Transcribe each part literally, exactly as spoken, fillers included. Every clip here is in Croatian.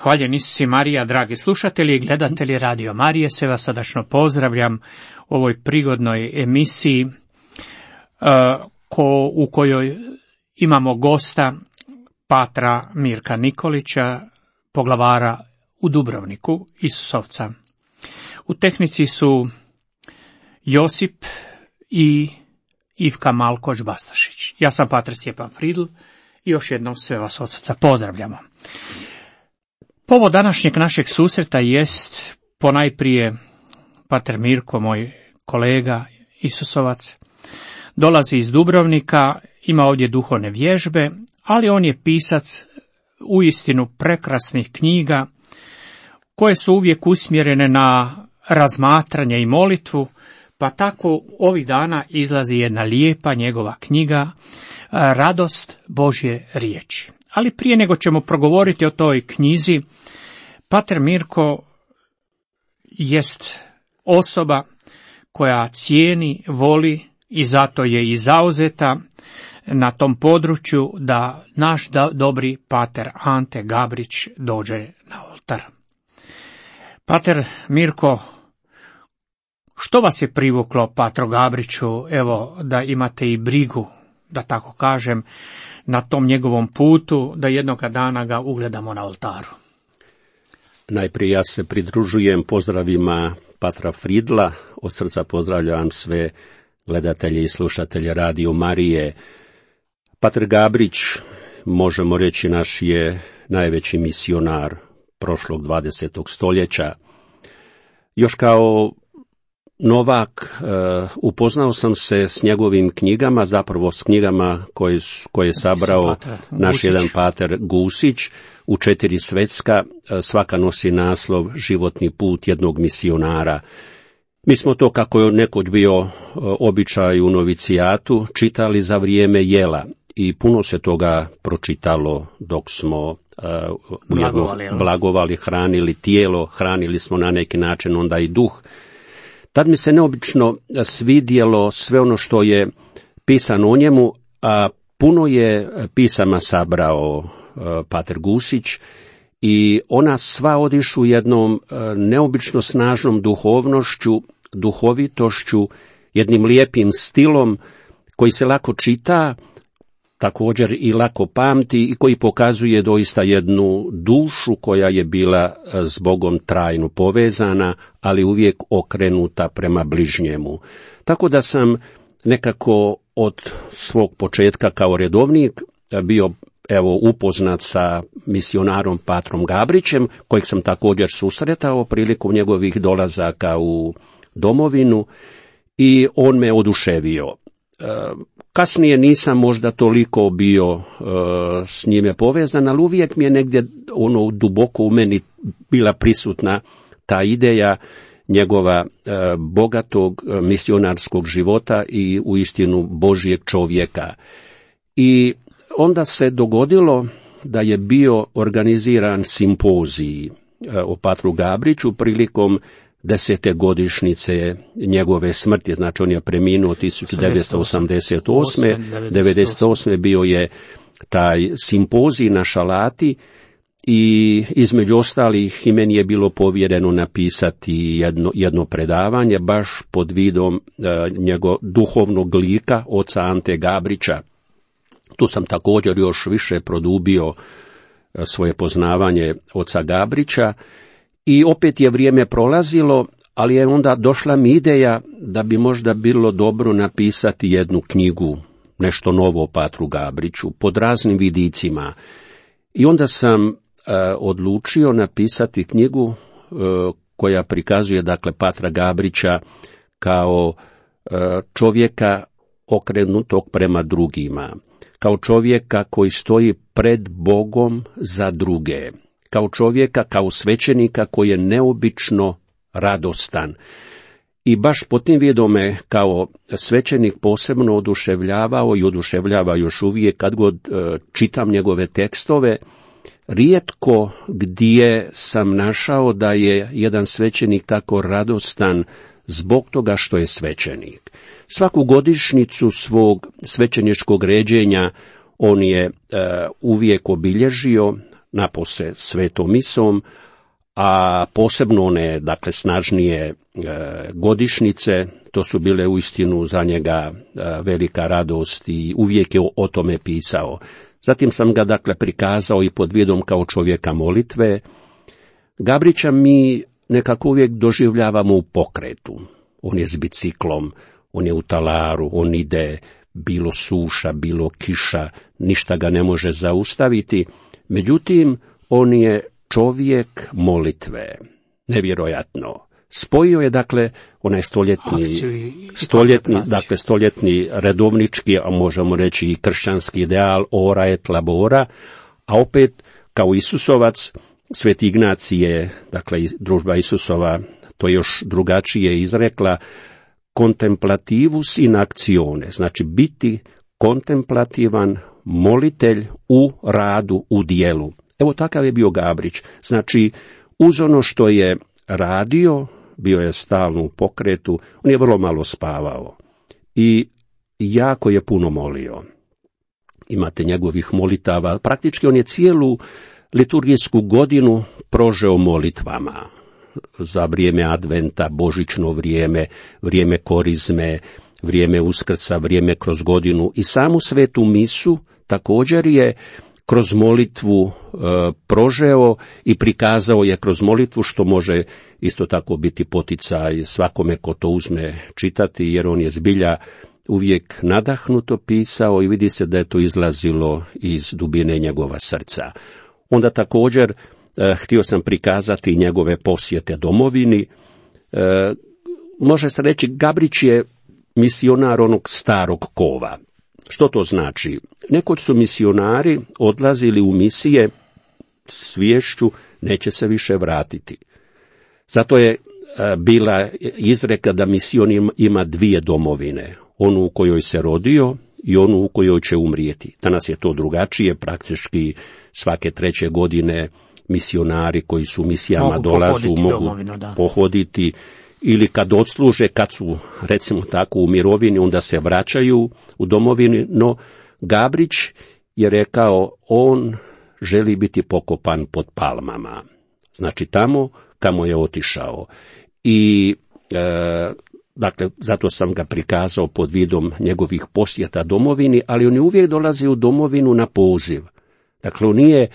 Hvaljen Isus i Marija, dragi slušatelji i gledatelji Radio Marije, se vas srdačno pozdravljam u ovoj prigodnoj emisiji uh, ko, u kojoj imamo gosta patra Mirka Nikolića, poglavara u Dubrovniku, Isusovca. U tehnici su Josip i Ivka Malkoć-Bastašić. Ja sam patar Stjepan Fridl i još jednom sve vas od srca pozdravljamo. Povod današnjeg našeg susreta jest ponajprije pater Mirko, moj kolega Isusovac, dolazi iz Dubrovnika, ima ovdje duhovne vježbe, ali on je pisac uistinu prekrasnih knjiga koje su uvijek usmjerene na razmatranje i molitvu, pa tako ovih dana izlazi jedna lijepa njegova knjiga Radost Božje riječi. Ali prije nego ćemo progovoriti o toj knjizi, pater Mirko jest osoba koja cijeni, voli i zato je i zauzeta na tom području da naš dobri pater Ante Gabrić dođe na oltar. Pater Mirko, što vas je privuklo patru Gabriću, evo da imate i brigu, da tako kažem, na tom njegovom putu, da jednoga dana ga ugledamo na oltaru? Najprije ja se pridružujem pozdravima patra Fridla, od srca pozdravljam sve gledatelje i slušatelje Radio Marije. Pater Gabrić, možemo reći, naš je najveći misionar prošlog dvadesetog stoljeća. Još kao novak uh, upoznao sam se s njegovim knjigama, zapravo s knjigama koje, koje je sabrao naš jedan pater Gusić u četiri svetska. Uh, svaka nosi naslov Životni put jednog misionara. Mi smo to, kako je nekoć bio uh, običaj u novicijatu, čitali za vrijeme jela i puno se toga pročitalo dok smo uh, blagovali, blagovali, hranili tijelo, hranili smo na neki način onda i duh. Tad mi se neobično svidjelo sve ono što je pisano o njemu, a puno je pisama sabrao uh, pater Gusić i ona sva odišu jednom uh, neobično snažnom duhovnošću, duhovitošću, jednim lijepim stilom koji se lako čita, također i lako pamti i koji pokazuje doista jednu dušu koja je bila s Bogom trajno povezana, ali uvijek okrenuta prema bližnjemu. Tako da sam nekako od svog početka kao redovnik bio evo upoznat sa misionarom patrom Gabrićem, kojeg sam također susretao prilikom njegovih dolazaka u domovinu i on me oduševio. Kasnije nisam možda toliko bio uh, s njime povezan, ali uvijek mi je negdje ono duboko u meni bila prisutna ta ideja njegova uh, bogatog uh, misionarskog života i uistinu Božjeg čovjeka. I onda se dogodilo da je bio organiziran simpozij uh, o patru Gabriću prilikom desete godišnjice njegove smrti, znači on je preminuo tisuću devetsto osamdeset osme. devedeset osme bio je taj simpozij na Šalati i između ostalih i meni je bilo povjereno napisati jedno, jedno predavanje baš pod vidom uh, njegov duhovnog lika, oca Ante Gabrića. Tu sam također još više produbio uh, svoje poznavanje oca Gabrića. I opet je vrijeme prolazilo, ali je onda došla mi ideja da bi možda bilo dobro napisati jednu knjigu, nešto novo o patru Gabriću, pod raznim vidicima. I onda sam uh, odlučio napisati knjigu uh, koja prikazuje, dakle, patra Gabrića kao uh, čovjeka okrenutog prema drugima, kao čovjeka koji stoji pred Bogom za druge, kao čovjeka, kao svećenika koji je neobično radostan. I baš po tim vidom me kao svećenik posebno oduševljavao i oduševljava još uvijek kad god e, čitam njegove tekstove. Rijetko gdje sam našao da je jedan svećenik tako radostan zbog toga što je svećenik. Svaku godišnjicu svog svećeničkog ređenja on je e, uvijek obilježio napose svetom misom, a posebno one, dakle, snažnije e, godišnjice, to su bile uistinu za njega e, velika radost i uvijek je o, o tome pisao. Zatim sam ga, dakle, prikazao i pod vidom kao čovjeka molitve. Gabrića mi nekako uvijek doživljavamo u pokretu. On je s biciklom, on je u talaru, on ide, bilo suša, bilo kiša, ništa ga ne može zaustaviti. Međutim, on je čovjek molitve. Nevjerojatno. Spojio je, dakle, onaj stoljetni, stoljetni, dakle, stoljetni redovnički, a možemo reći i kršćanski ideal ora et labora, a opet kao Isusovac, Sveti Ignacije, dakle, družba Isusova, to još drugačije izrekla, contemplativus in actione, znači biti kontemplativan molitelj u radu, u dijelu. Evo takav je bio Gabrić, znači uz ono što je radio, bio je stalno u pokretu, on je vrlo malo spavao i jako je puno molio. Imate njegovih molitava, praktički on je cijelu liturgijsku godinu prožeo molitvama. Za vrijeme adventa, božićno vrijeme, vrijeme korizme, vrijeme uskrsa, vrijeme kroz godinu i samu svetu misu također je kroz molitvu e, prožeo i prikazao je kroz molitvu, što može isto tako biti poticaj svakome ko to uzme čitati, jer on je zbilja uvijek nadahnuto pisao i vidi se da je to izlazilo iz dubine njegova srca. Onda također e, htio sam prikazati njegove posjete domovini. E, može se reći, Gabrić je misionar onog starog kova. Što to znači? Nekoć su misionari odlazili u misije s sviješću, neće se više vratiti. Zato je e, bila izreka da mision ima dvije domovine, onu u kojoj se rodio i onu u kojoj će umrijeti. Danas je to drugačije, praktički svake treće godine misionari koji su misijama mogu dolazu, mogu domovinu, pohoditi, ili kad odsluže, kad su, recimo tako, u mirovini, onda se vraćaju u domovini, no Gabrić je rekao, on želi biti pokopan pod palmama. Znači tamo kamo je otišao. I, e, dakle, zato sam ga prikazao pod vidom njegovih posjeta domovini, ali on je uvijek dolazi u domovinu na poziv. Dakle, on nije e,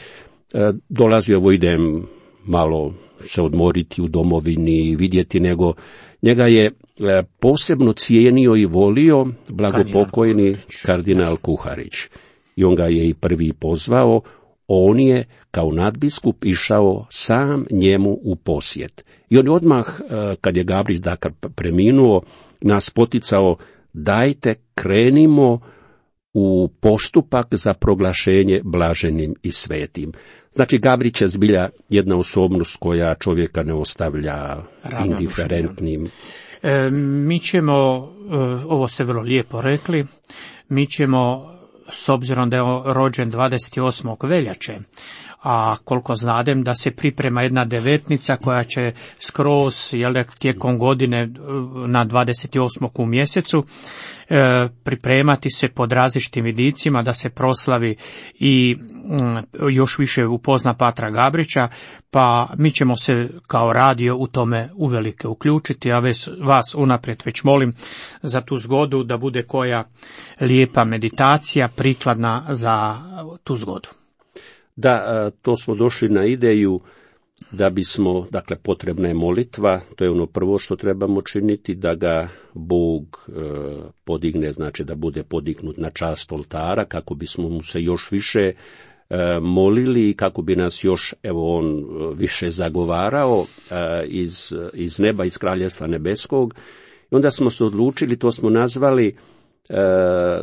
dolazio, evo idem malo se odmoriti u domovini, vidjeti, nego njega je e, posebno cijenio i volio blagopokojni kardinal Kuharić. I on ga je i prvi pozvao, on je kao nadbiskup išao sam njemu u posjet. I on odmah, e, kad je Gabrić dakle preminuo, nas poticao, dajte krenimo u postupak za proglašenje blaženim i svetim. Znači, Gabrić je zbilja jedna osobnost koja čovjeka ne ostavlja indiferentnim. E, mi ćemo, e, ovo ste vrlo lijepo rekli, mi ćemo, s obzirom da je rođen dvadeset osmog veljače, a koliko znadem da se priprema jedna devetnica koja će skroz, jel, tijekom godine na dvadeset osmog u mjesecu e, pripremati se pod različitim vidicima da se proslavi i mm, još više upozna Patra Gabrića, pa mi ćemo se kao radio u tome uvelike uključiti, a ves, vas unaprijed već molim za tu zgodu da bude koja lijepa meditacija prikladna za tu zgodu. Da, to smo došli na ideju da bismo, dakle, potrebna je molitva, to je ono prvo što trebamo činiti, da ga Bog e, podigne, znači da bude podignut na čast oltara, kako bismo mu se još više e, molili i kako bi nas još, evo, on više zagovarao e, iz, iz neba, iz Kraljevstva nebeskog. I onda smo se odlučili, to smo nazvali, E,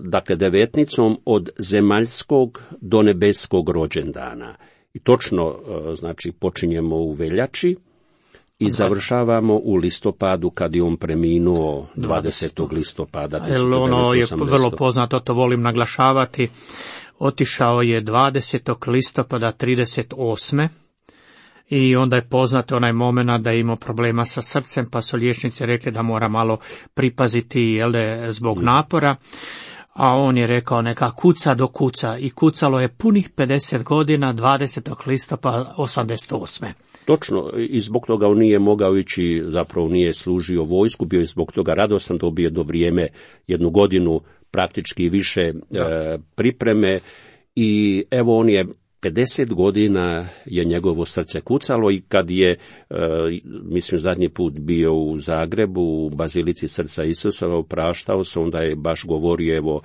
dakle, devetnicom od zemaljskog do nebeskog rođendana. I točno, e, znači, počinjemo u veljači i završavamo u listopadu, kad je on preminuo dvadesetog listopada tisuću devetsto osamdeset. Ono je vrlo poznato, to volim naglašavati. Otišao je dvadesetog listopada trideset osme i onda je poznato onaj moment da je imao problema sa srcem, pa su liječnici rekli da mora malo pripaziti, jel, zbog napora. a on je rekao neka kuca do kuca i kucalo je punih pedeset godina, dvadesetog listopada osamdeset osme. Točno, i zbog toga on nije mogao ići, zapravo nije služio vojsku, bio je zbog toga radostan, dobio jedno vrijeme, jednu godinu praktički više e, pripreme i evo on je pedeset godina je njegovo srce kucalo i kad je, e, mislim, zadnji put bio u Zagrebu, u Bazilici srca Isusova, opraštao se, onda je baš govorio, evo,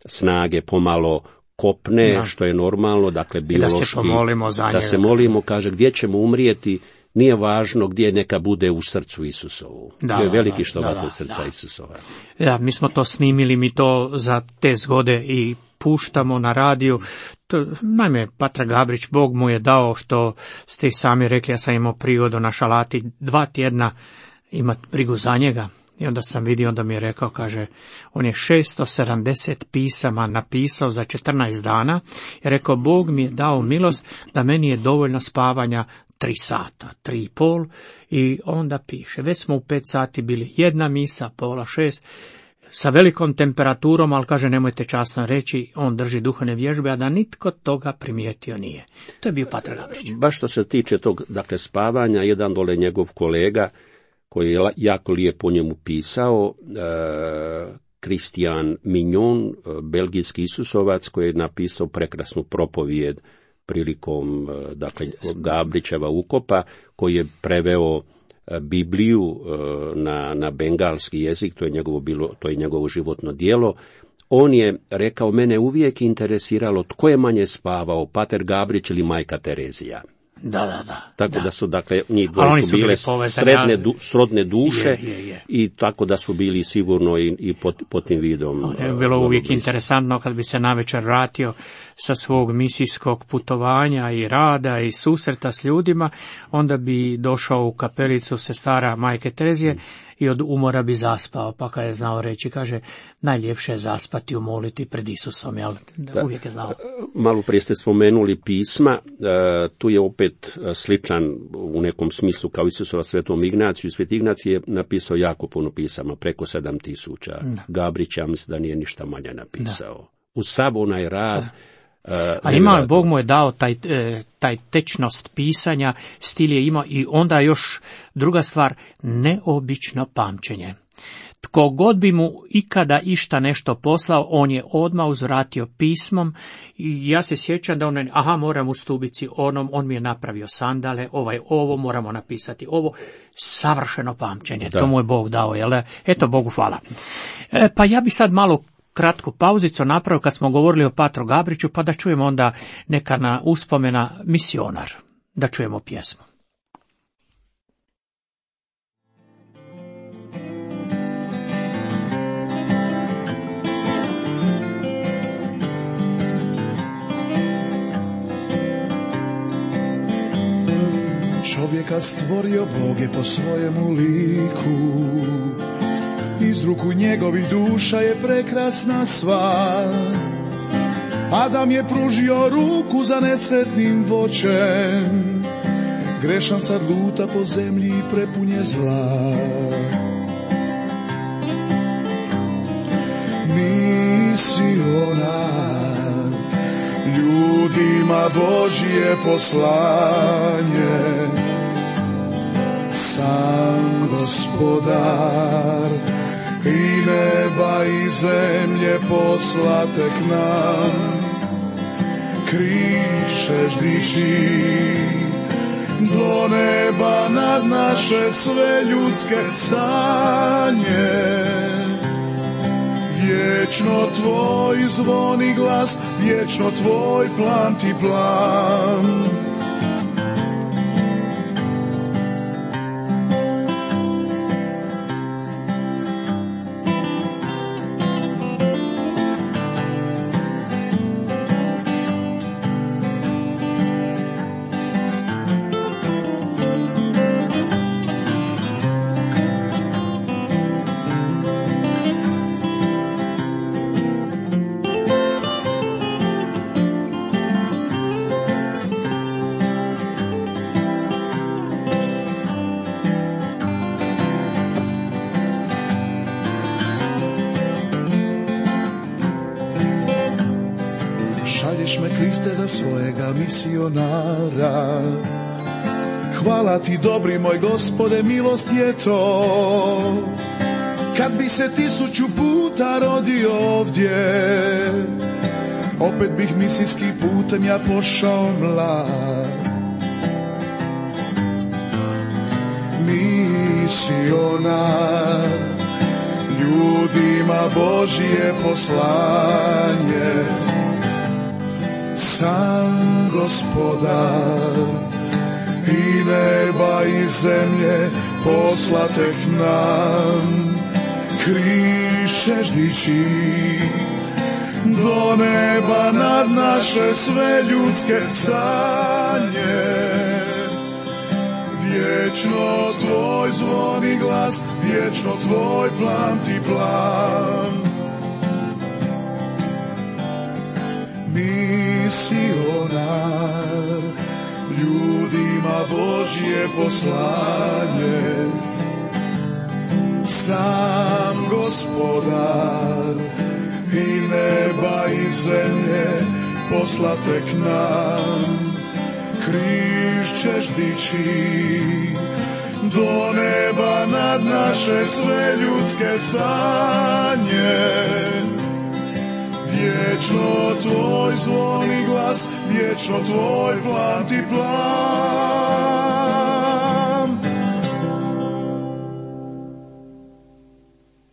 snage pomalo kopne, da. Što je normalno, dakle, biološki, da se pomolimo za njega. Da se molimo, kaže, gdje ćemo umrijeti, nije važno gdje, neka bude u srcu Isusovu. Da, to je veliki štovatelj srca da. Isusova. Da, mi smo to snimili, mi to za te zgode i puštamo na radiju. To, naime, Patra Gabrić, Bog mu je dao, što ste i sami rekli, ja sam imao prigodu na Šalati dva tjedna imati brigu za njega. I onda sam vidio, onda mi je rekao, kaže, on je šesto sedamdeset pisama napisao za četrnaest dana. I rekao, Bog mi je dao milost da meni je dovoljno spavanja tri sata, tri i pol. I onda piše, već smo u pet sati bili, jedna misa, pola šest, sa velikom temperaturom, ali kaže, nemojte časno reći, on drži duhovne vježbe, a da nitko toga primijetio nije. To je bio Patra Gabrić. Baš što se tiče tog, dakle, spavanja, jedan dole njegov kolega, koji je jako lijepo njemu pisao, Kristijan Mignon, belgijski Isusovac, koji je napisao prekrasnu propovijed prilikom, dakle, Gabrićeva ukopa, koji je preveo Bibliju na, na bengalski jezik, to je njegovo bilo, to je njegovo životno djelo. On je rekao, mene uvijek interesiralo tko je manje spavao, Pater Gabrić ili majka Terezija. Da, da, da. Tako da, da su, dakle, njih dvoje su bile sredne, du, srodne duše je, je, je. I tako da su bili sigurno i, i pod, pod tim vidom. Je bilo uh, uvijek bliski. Interesantno kad bi se navečer vratio sa svog misijskog putovanja i rada i susreta s ljudima, onda bi došao u kapelicu sestara majke Terezije mm. i od umora bi zaspao, pa kad je znao reći, kaže, najljepše je zaspati, umoliti pred Isusom, jel? Da, uvijek je znao. Malo prije ste spomenuli pisma, uh, tu je opet sličan u nekom smislu kao Isusova svetom Ignaciju. Svet Ignacij je napisao jako puno pisama, preko sedam tisuća. Gabrić, ja mislim da nije ništa manje napisao. Da. U sav onaj rad. Uh, A ima, Bog mu je dao taj, taj tečnost pisanja, stil je imao i onda još druga stvar, neobično pamćenje. Tko god bi mu ikada išta nešto poslao, on je odmah uzvratio pismom i ja se sjećam da on, aha, moram u stubici onom, on mi je napravio sandale, ovaj ovo, moramo napisati ovo, savršeno pamćenje, da. To mu je Bog dao, jel? Eto, Bogu hvala. E, pa ja bi sad malo kratku pauzicu napravio kad smo govorili o Patru Gabriću, pa da čujemo onda neka na uspomena misionar, da čujemo pjesmu. Čovjeka stvorio Bog je po svojemu liku, iz ruku njegovih duša je prekrasna sva. Adam je pružio ruku za nesretnim voćem, grešan sad luta po zemlji i prepun je zla. Misionar, ljudima Božje poslanje, sam Gospodar i neba i zemlje poslate k nam. Križ ćeš dići do neba nad naše sve ljudske sanje. Vječno tvoj zvoni glas, vječno tvoj plan ti plan. svojega misionara. Hvala ti, dobri moj Gospode, milost je to. Kad bi se tisuću puta rodio ovdje, opet bih misijskim putem ja pošao mlad. Misionar, ljudima Božje poslanje, sam Gospodar i neba i zemlje poslate k nam. Križ ćeš dići do neba nad naše sve ljudske sanje. Vječno tvoj zvoni glas, vječno tvoj plan ti plan. Misionar, ljudima Božje poslanje, sam Gospodar i neba i zemlje poslate k nam. Križ ćeš dići do neba nad naše sve ljudske sanje. Vječno tvoj zvoni glas, vječno tvoj plan ti plan.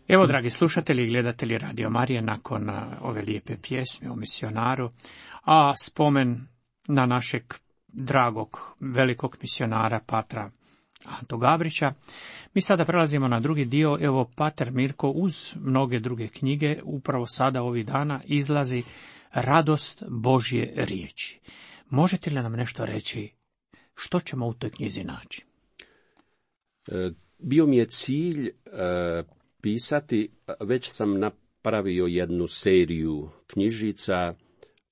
Evo, dragi slušatelji i gledatelji Radio Marije, nakon ove lijepe pjesme o misionaru, a spomen na našeg dragog velikog misionara Patra Antu Gabrića, mi sada prelazimo na drugi dio. Evo, Pater Mirko uz mnoge druge knjige upravo sada ovih dana izlazi Radost Božje riječi. Možete li nam nešto reći što ćemo u toj knjizi naći? Bio mi je cilj e, pisati, već sam napravio jednu seriju knjižica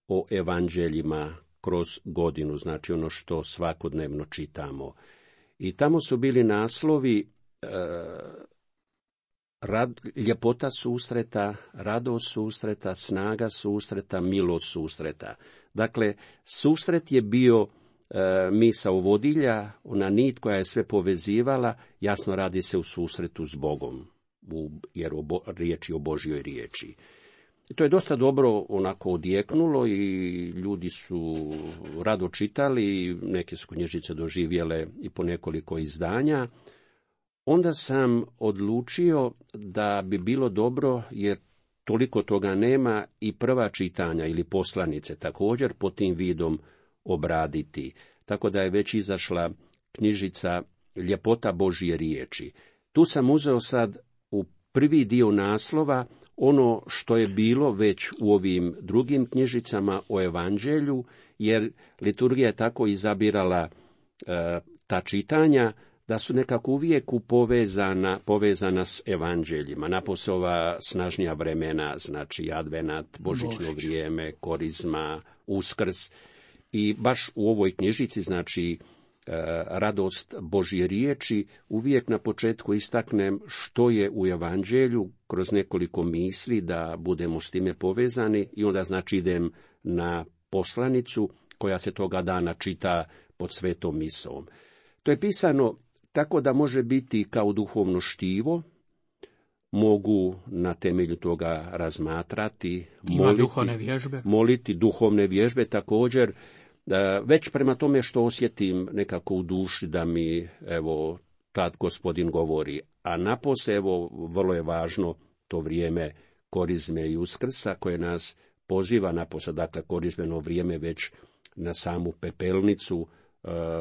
o evanđeljima kroz godinu, znači ono što svakodnevno čitamo. I tamo su bili naslovi e, rad, ljepota susreta, radost susreta, snaga susreta, milost susreta. Dakle, susret je bio e, misao vodilja, ona nit koja je sve povezivala, jasno radi se u susretu s Bogom, u, jer o bo, riječi o Božjoj riječi. I to je dosta dobro onako odjeknulo i ljudi su rado čitali, neke su knjižice doživjele i po nekoliko izdanja. Onda sam odlučio da bi bilo dobro, jer toliko toga nema, i prva čitanja ili poslanice također pod tim vidom obraditi. Tako da je već izašla knjižica Ljepota Božje riječi. Tu sam uzeo sad u prvi dio naslova ono što je bilo već u ovim drugim knjižicama o evanđelju, jer liturgija je tako izabirala e, ta čitanja da su nekako uvijek povezana, povezana s evanđeljima. Napose ova snažnija vremena, znači advenat, božićno Božić. vrijeme, korizma, uskrs. I baš u ovoj knjižici, znači Radost Božje riječi, uvijek na početku istaknem što je u evanđelju kroz nekoliko misli da budemo s time povezani, i onda znači idem na poslanicu koja se toga dana čita pod svetom misom. To je pisano tako da može biti kao duhovno štivo, mogu na temelju toga razmatrati, moliti, duhovne vježbe. moliti duhovne vježbe također. Već prema tome što osjetim nekako u duši da mi, evo, tad Gospodin govori. A napose, evo, vrlo je važno to vrijeme korizme i uskrsa koje nas poziva napose, dakle, korizmeno vrijeme već na samu pepelnicu,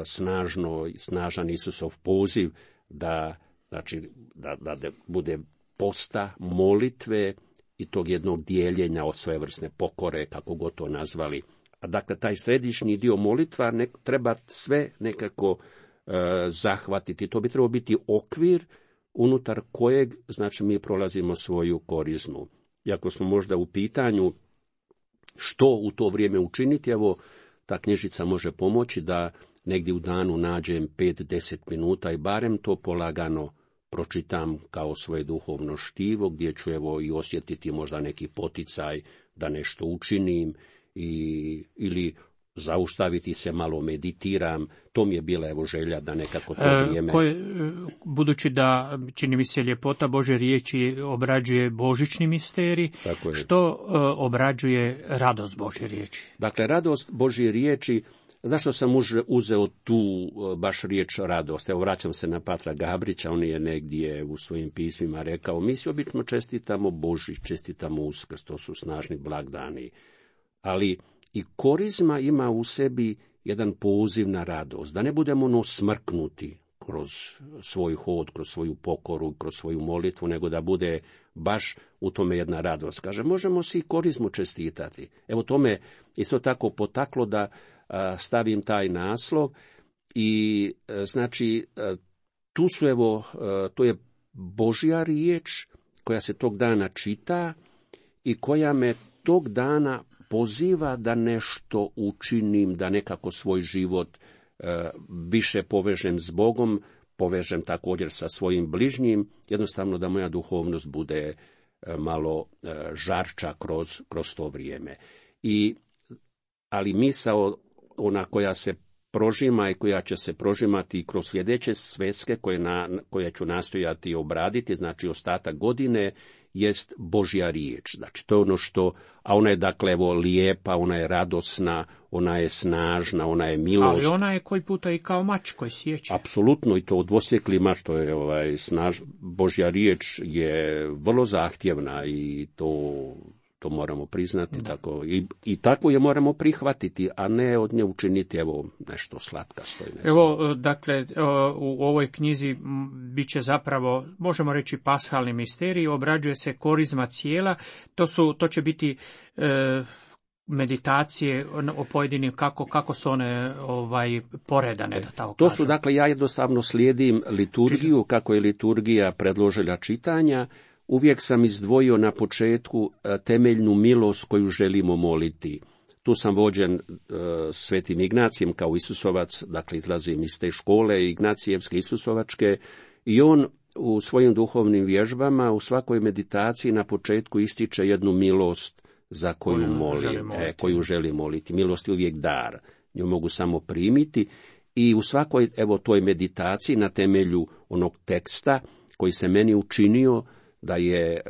snažno, snažan Isusov poziv da, znači, da, da, da bude posta, molitve i tog jednog dijeljenja od svojevrsne pokore, kako god to nazvali. A dakle, taj središnji dio molitva ne, treba sve nekako e, zahvatiti. To bi trebao biti okvir unutar kojeg, znači, mi prolazimo svoju korizmu. Iako smo možda u pitanju što u to vrijeme učiniti, evo, ta knjižica može pomoći da negdje u danu nađem pet do deset minuta i barem to polagano pročitam kao svoje duhovno štivo, gdje ću, evo, i osjetiti možda neki poticaj da nešto učinim, I, ili zaustaviti se, malo meditiram, to mi je bila evo želja da nekako to vrijeme... E, koje, budući da, čini mi se, ljepota Božje riječi obrađuje božićni misterij, što e, obrađuje radost Božje riječi? Dakle, radost Božje riječi, zašto sam uzeo tu baš riječ radost? Evo, vraćam se na patra Gabrića, on je negdje u svojim pismima rekao, mi si obično čestitamo Božić, čestitamo Uskrs, to su snažni blagdani, ali i korizma ima u sebi jedan poziv na radost, da ne budemo ono smrknuti kroz svoj hod, kroz svoju pokoru, kroz svoju molitvu, nego da bude baš u tome jedna radost. Kaže, možemo si korizmu čestitati. Evo to me isto tako potaklo da a, stavim taj naslov i a, znači a, tu su evo, a, to je Božja riječ koja se tog dana čita i koja me tog dana poziva da nešto učinim, da nekako svoj život e, više povežem s Bogom, povežem također sa svojim bližnjim, jednostavno da moja duhovnost bude e, malo e, žarča kroz, kroz to vrijeme. I, ali misao, ona koja se prožima i koja će se prožimati kroz sljedeće sveske koje, na, koje ću nastojati obraditi, znači ostatak godine, jest Božja riječ. Znači, to je ono što, a ona je dakle evo lijepa, ona je radosna, ona je snažna, ona je milost. Ali ona je koji puta i kao mač koji sjeće. Apsolutno, i to dvosjekli mač, to je ovaj snaž, Božja riječ je vrlo zahtjevna i to, to moramo priznati, da. Tako, i, i tako je moramo prihvatiti, a ne od nje učiniti evo nešto slatkasto. Ne evo, dakle, u ovoj knjizi bit će zapravo, možemo reći, pashalni misterij, obrađuje se korizma cijela, to, su, to će biti e, meditacije o pojedinim, kako, kako su one ovaj, poredane, da tako To kažem. su, dakle, ja jednostavno slijedim liturgiju, kako je liturgija predložila čitanja. Uvijek sam izdvojio na početku temeljnu milost koju želimo moliti. Tu sam vođen e, svetim Ignacijem kao Isusovac, dakle izlazim iz te škole Ignacijevske Isusovačke, i on u svojim duhovnim vježbama, u svakoj meditaciji na početku ističe jednu milost za koju, koju molim, želi e, koju želi moliti. Milost je uvijek dar, nju mogu samo primiti, i u svakoj evo toj meditaciji na temelju onog teksta koji se meni učinio da je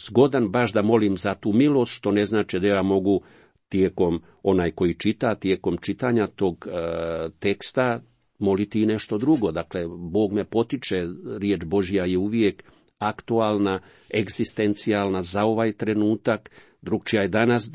zgodan baš da molim za tu milost, što ne znači da ja mogu tijekom, onaj koji čita, tijekom čitanja tog e, teksta moliti i nešto drugo. Dakle, Bog me potiče, riječ Božja je uvijek aktualna, egzistencijalna za ovaj trenutak, drugčija je danas,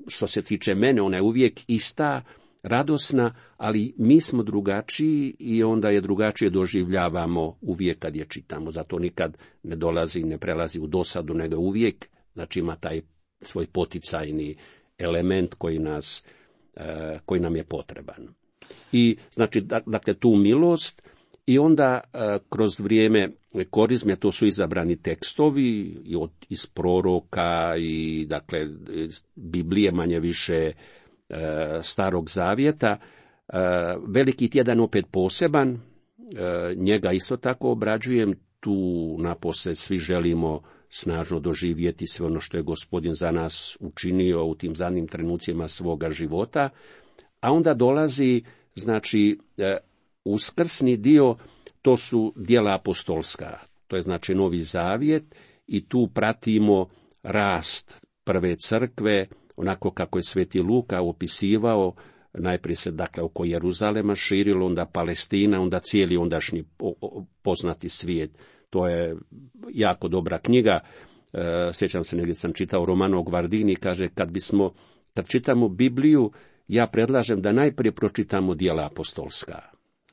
što se tiče mene, ona je uvijek ista, radosna, ali mi smo drugačiji i onda je drugačije doživljavamo uvijek kad je čitamo. Zato nikad ne dolazi, ne prelazi u dosadu, nego uvijek, znači ima taj svoj poticajni element koji nas, koji nam je potreban. I znači, dakle, tu milost, i onda kroz vrijeme korizme, to su izabrani tekstovi i od, iz proroka i dakle Biblije, manje više Starog zavjeta. Veliki tjedan opet poseban, njega isto tako obrađujem, tu napose svi želimo snažno doživjeti sve ono što je Gospodin za nas učinio u tim zadnjim trenucima svoga života, a onda dolazi, znači, uskrsni dio, to su djela apostolska, to je znači Novi zavjet, i tu pratimo rast prve crkve, onako kako je Sveti Luka opisivao, najprije se dakle oko Jeruzalema širilo, onda Palestina, onda cijeli ondašnji poznati svijet. To je jako dobra knjiga. E, sjećam se, negdje sam čitao Romano Guardini, kaže, kad bismo, kad čitamo Bibliju, ja predlažem da najprije pročitamo djela apostolska.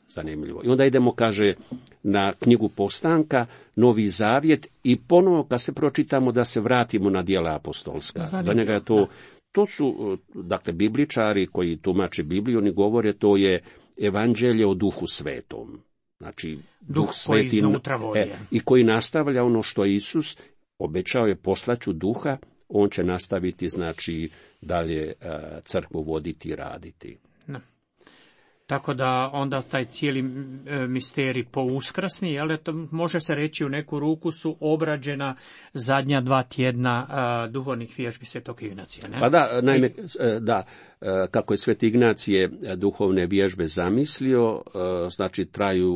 Zanimljivo. I onda idemo, kaže, na knjigu Postanka, Novi zavjet, i ponovo kad se pročitamo da se vratimo na djela apostolska. Zanimljivo. Za njega je to, to su, dakle, bibličari koji tumače Bibliju, oni govore, to je evanđelje o Duhu Svetom. Znači, Duh, Duh Sveti, e, i koji nastavlja ono što Isus obećao je, poslaću Duha, on će nastaviti, znači, dalje uh, crkvu voditi i raditi. No. Tako da onda taj cijeli misterij pouskrsni, jel, to može se reći u neku ruku su obrađena zadnja dva tjedna a, duhovnih vježbi Svetog Ignacija. Ne? Pa da, naime, da, kako je Sveti Ignacije duhovne vježbe zamislio, znači traju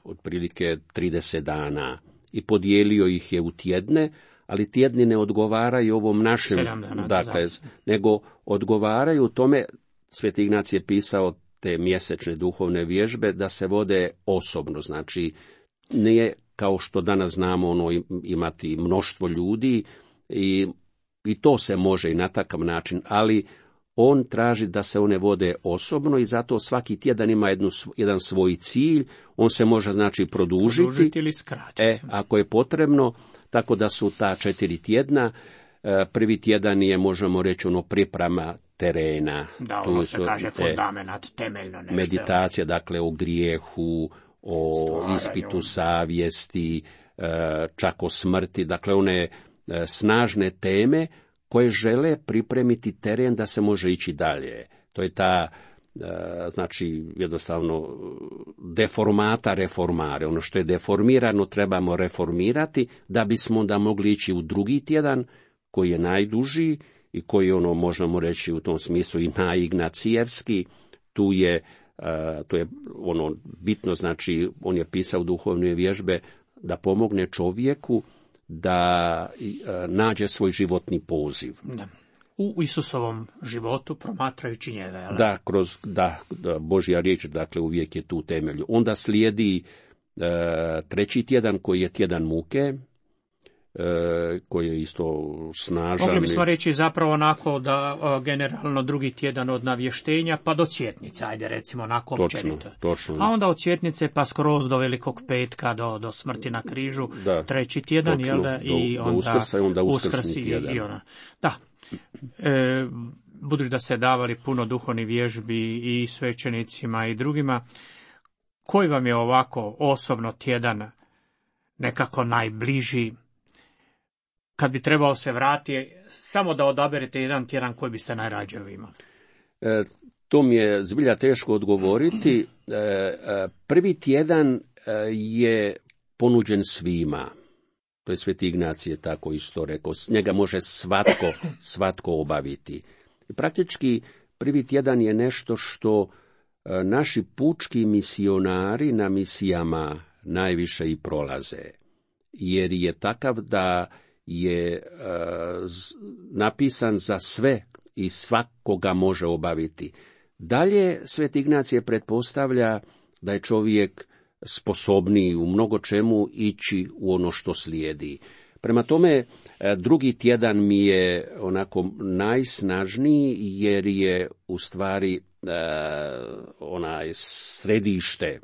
otprilike trideset dana i podijelio ih je u tjedne, ali tjedni ne odgovaraju ovom našem, dana, dakle, nego odgovaraju tome, Sveti Ignacije je pisao te mjesečne duhovne vježbe da se vode osobno, znači nije kao što danas znamo ono imati mnoštvo ljudi i, i to se može i na takav način, ali on traži da se one vode osobno i zato svaki tjedan ima jednu, jedan svoj cilj, on se može znači produžiti, produžiti ili skratiti. E, ako je potrebno, tako da su ta četiri tjedna, prvi tjedan je, možemo reći, ono priprema terena. Da, ono se kaže fundamenat, temeljno nešto. Meditacija, dakle, o grijehu, o stvaranju, ispitu savjesti, čak o smrti, dakle, one snažne teme koje žele pripremiti teren da se može ići dalje. To je ta, znači, jednostavno, deformata reformare. Ono što je deformirano trebamo reformirati da bismo onda mogli ići u drugi tjedan, koji je najduži i koji ono možemo reći u tom smislu i najignacijevski. Tu je, to je ono bitno, znači on je pisao duhovne vježbe da pomogne čovjeku da nađe svoj životni poziv. Da. U Isusovom životu promatrajući njega. Jel? Da, kroz da, da, Božja riječ, dakle, uvijek je tu temelju. Onda slijedi e, treći tjedan koji je tjedan muke, e, koji je isto snažan. Mogli bismo reći zapravo onako da o, generalno drugi tjedan od navještenja pa do cvjetnice, ajde recimo onako općenito. Točno. A onda od cvjetnice pa skroz do Velikog petka, do, do smrti na križu, da, treći tjedan, točno, jel da, i do, onda, do uskrsa, i onda uskrsi i, i ona. Da. E, budući da ste davali puno duhovnih vježbi i svećenicima i drugima, koji vam je ovako osobno tjedan nekako najbliži, kad bi trebao se vratiti, samo da odaberete jedan tjedan koji biste najrađe imali? E, to mi je zbilja teško odgovoriti. E, e, prvi tjedan e, je ponuđen svima. To je Sveti Ignacije tako isto rekao. Njega može svatko, svatko obaviti. I praktički prvi tjedan je nešto što e, naši pučki misionari na misijama najviše i prolaze. Jer je takav da je e, z, napisan za sve i svakoga može obaviti. Dalje Sveti Ignacije pretpostavlja da je čovjek sposobniji u mnogo čemu ići u ono što slijedi. Prema tome, drugi tjedan mi je onako najsnažniji jer je u stvari e, onaj središte e,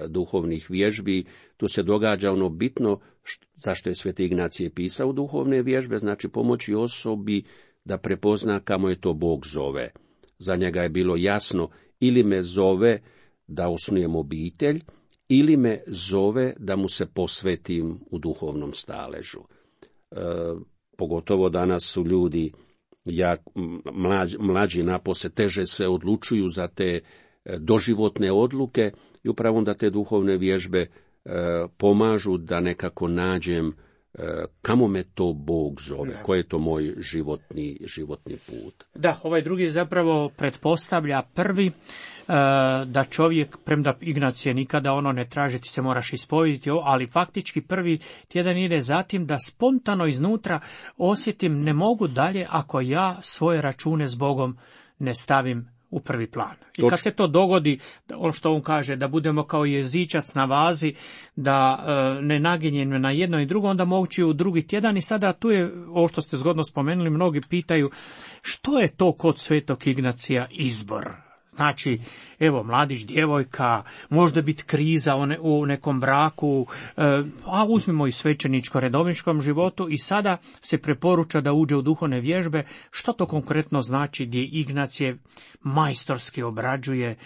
duhovnih vježbi. Tu se događa ono bitno što, zašto je Sveti Ignacije pisao duhovne vježbe, znači pomoći osobi da prepozna kamo je to Bog zove. Za njega je bilo jasno ili me zove da osnujem obitelj, ili me zove da mu se posvetim u duhovnom staležu. E, pogotovo danas su ljudi, jak, mlađi, mlađi napose, teže se odlučuju za te doživotne odluke i upravo onda te duhovne vježbe e, pomažu da nekako nađem e, kamo me to Bog zove, koji je to moj životni, životni put. Da, ovaj drugi zapravo pretpostavlja prvi, da čovjek, premda Ignacije nikada ono ne traži, ti se moraš ispovjediti, ali faktički prvi tjedan ide zatim da spontano iznutra osjetim ne mogu dalje ako ja svoje račune s Bogom ne stavim u prvi plan. I kad se to dogodi, ono što on kaže, da budemo kao jezičac na vazi, da e, ne naginjemo na jedno i drugo, onda moći u drugi tjedan. I sada tu je, ovo što ste zgodno spomenuli, mnogi pitaju što je to kod Svetog Ignacija izbor. Znači, evo, mladić, djevojka, možda biti kriza u nekom braku, a uzmimo i svećeničko redovničkom životu i sada se preporuča da uđe u duhovne vježbe. Što to konkretno znači gdje Ignacije majstorski obrađuje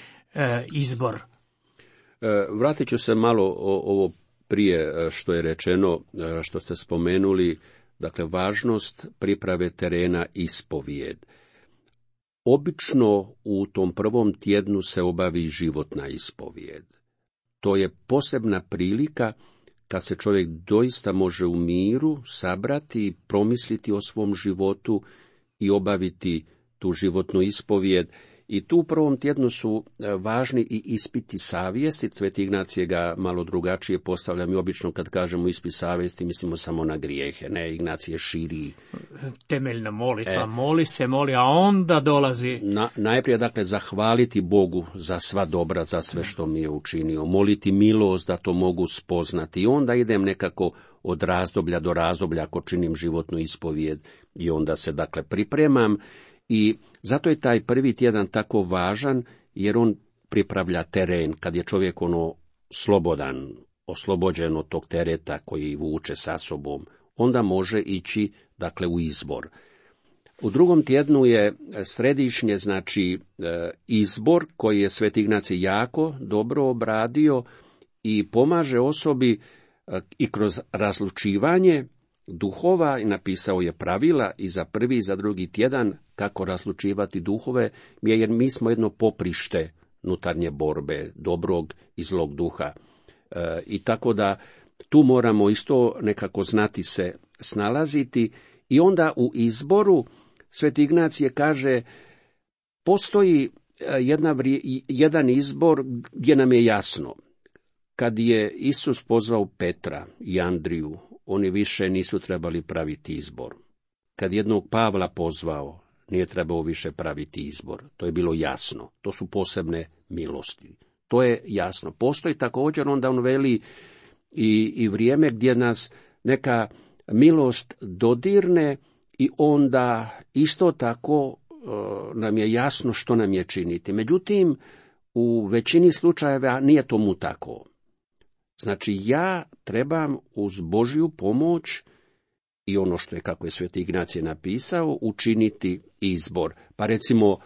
izbor? Vratit ću se malo o, ovo prije što je rečeno, što ste spomenuli, dakle, važnost priprave terena ispovijed. obično u tom prvom tjednu se obavi životna ispovijed. To je posebna prilika kad se čovjek doista može u miru sabrati, promisliti o svom životu i obaviti tu životnu ispovijed. I tu u prvom tjednu su važni i ispiti savjesti. Sveti Ignacije ga malo drugačije postavlja. Mi obično kad kažemo ispit savjesti mislimo samo na grijehe. Ne, Ignacije širi. Temeljna molitva, e, moli se, moli, a onda dolazi. Na, najprije, dakle, zahvaliti Bogu za sva dobra, za sve što mi je učinio. Moliti milost da to mogu spoznati. I onda idem nekako od razdoblja do razdoblja ako činim životnu ispovijed. I onda se, dakle, pripremam. I zato je taj prvi tjedan tako važan, jer on pripravlja teren, kad je čovjek ono slobodan, oslobođen od tog tereta koji vuče sa sobom, onda može ići, dakle, u izbor. U drugom tjednu je središnje, znači, izbor koji je Sveti Ignacij jako dobro obradio i pomaže osobi i kroz razlučivanje duhova, i napisao je pravila i za prvi i za drugi tjedan kako razlučivati duhove, jer mi smo jedno poprište unutarnje borbe, dobrog i zlog duha. E, I tako da tu moramo isto nekako znati se snalaziti. I onda u izboru Sveti Ignacije kaže, postoji jedna, jedan izbor gdje nam je jasno. Kad je Isus pozvao Petra i Andriju, oni više nisu trebali praviti izbor. Kad jednog Pavla pozvao, nije trebao više praviti izbor. To je bilo jasno. To su posebne milosti. To je jasno. Postoji također, onda on veli, i, i vrijeme gdje nas neka milost dodirne i onda isto tako uh, nam je jasno što nam je činiti. Međutim, u većini slučajeva nije tomu tako. Znači, ja trebam uz Božju pomoć i ono što je, kako je Sveti Ignacije napisao, učiniti izbor. Pa recimo,